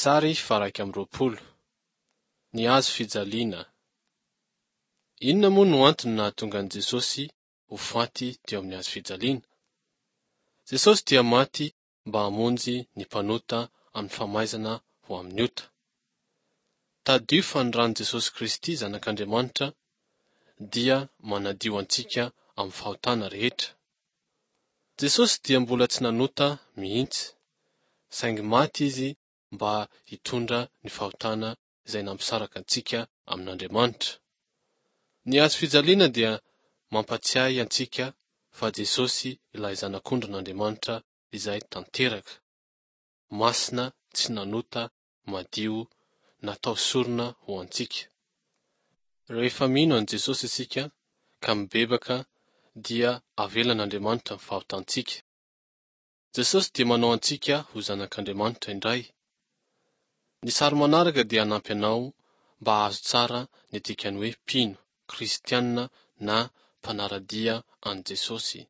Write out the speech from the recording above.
Sary faha-21. Ny hazo fijaliana. Inona moa no antony nahatonga an'i Jesosy ho faty teo amin'ny hazo fijaliana? Jesosy dia maty mba hamonjy ny mpanota amin'ny famaizana ho amin'ny ota. Tadidio fa ny ran'i Jesosy Kristy Zanak'Andriamanitra dia manadio antsika amin'ny fahotana rehetra. Jesosy dia mbola tsy nanota mihitsy, saingy maty Izy mba hitondra ny fahotana izay nampisaraka antsika amin'Andriamanitra. Ny hazo fijaliana dia mampatsiahy antsika fa Jesosy ilay Zanak'ondrin'Andriamanitra izay tanteraka, masina, tsy nanota, madio, natao sorona ho antsika. Rehefa mino an'i Jesosy isika ka mibebaka dia avelan'Andriamanitra ny fahotantsika. Jesosy dia manao antsika ho zanak'Andriamanitra indray. Ny sary manaraka dia hanampy anao mba hahazo tsara ny dikan'ny hoe mpino, kristiana na mpanara-dia an'i Jesosy.